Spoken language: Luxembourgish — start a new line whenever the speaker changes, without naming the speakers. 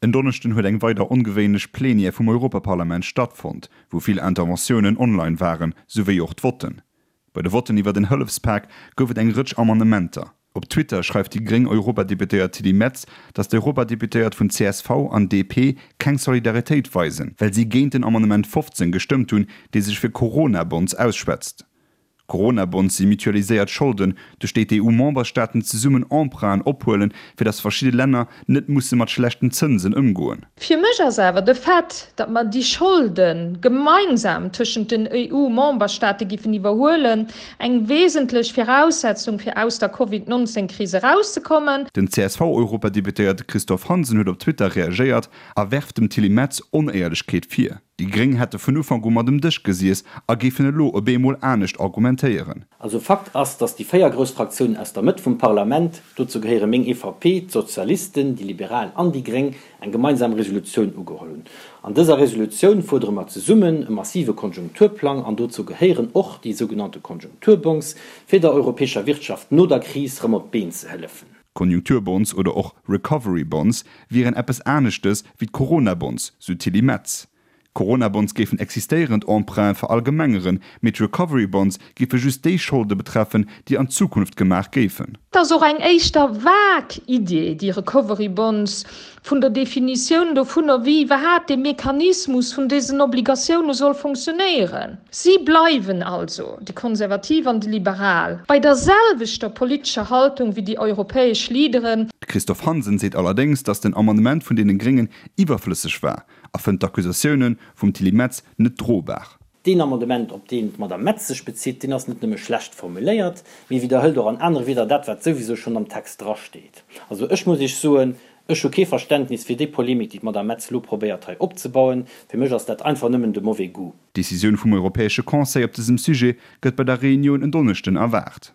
En Donneschden huet eng weider ongewéinlech Plenière vum Europaparlament stattfonnt, wou vill Interventiounen online waren, souwéi och d'Votten. Bei de Votten iwwert en Hëllefspak gouf et eng Rëtsch Amendementer. Op Twitter schreift déi gréng Europadeputéiert Tilly Metz, datt d'Europadeputéiert vun csv an DP keng Solidaritéit weisen, well si géint den Amendement 15 gestëmmt hunn, dee sech fir Corona-Bonds ausschwätzt. Coronabonds si mutualiséiert Scholden, duerch déi d'EU-Memberstaaten zesummen Emprunten ophuelen, fir datt verschidde Länner net musse mat schlechten Zënsen ëmgoen.
Fir mech ass awer de Fait, datt mer déi Scholde gemeinsam tëschent den EU-Memberstaate giffen iwwerhuelen, eng wesentlech Viraussetzung fir aus der Covid 19 Kris erauszekommen.
Den CSV-Europadeputéierte Christophe Hansen huet op Twitter reagéiert a werft dem Tilly Metz Onéierlechkeet vir. Déi Gréng hätte vun Ufank u mat um Dësch gesiess a géifen elo op eemol anescht argumentéieren.
Also Fakt ass, datt déi 4 grouss Fraktiounen aus der Mëtt vum Parlament, dozou gehéiere meng EVP, d'Sozialisten, déi Liberal an déi Gréng, eng gemeinsam Resolutioun ugeholl hunn. An dëser Resolutioun fuerdere mer zesummen e massive Konjunkturplang, an dozou gehéieren och déi sougenannte Konjunkturbonds, fir der europäescher Wirtschaft no der Kris rëm op d'Been ze hëllefen.
Konjunkturbonds oder och Recovery Bonds wieren eppes aneschtes wéi d'Coronabonds, sou d'Tilly Metz. D'Coronabonds géifen existéierend Emprunte verallgemengeren, mee d'Recovery Bonds géife just déi Scholde betreffen, déi an Zukunft gemaach géifen.
Et ass och eng éischter vag Idee, déi Recovery Bonds, vun der Definitioun dovunner, wéi iwwerhaapt dee Mechanismus vun desen Obligatioune soll funktionéieren. Si bleiwen also, déi Konservativ an déi Liberal, bei der selwechter politescher Haltung wéi déi europäesch Leaderen.
De Christophe Hansen seet allerdéngs, datt den Amendement vun deene Gréngen iwwerflësseg war a fënnt d'Accusatioune vum Tilly Metz net drobar.
Deen Amendement, op deen d'Madame Metz sech bezitt, deen ass net nëmme schlecht formuléiert, mee widderhëlt och an anere Wieder dat, wat souwisou schonn am Text drasteet. Also ech muss Iech soen, ech hu kee Verständnis fir déi Polemik, déi d'Madame Metz elo probéiert hei opzebauen. Fir mech ass dat einfach nëmmen de mauvais goût.
D'Decisioun vum Europäesche Conseil op dësem Sujet gëtt bei der Reunioun en Donneschden erwaart.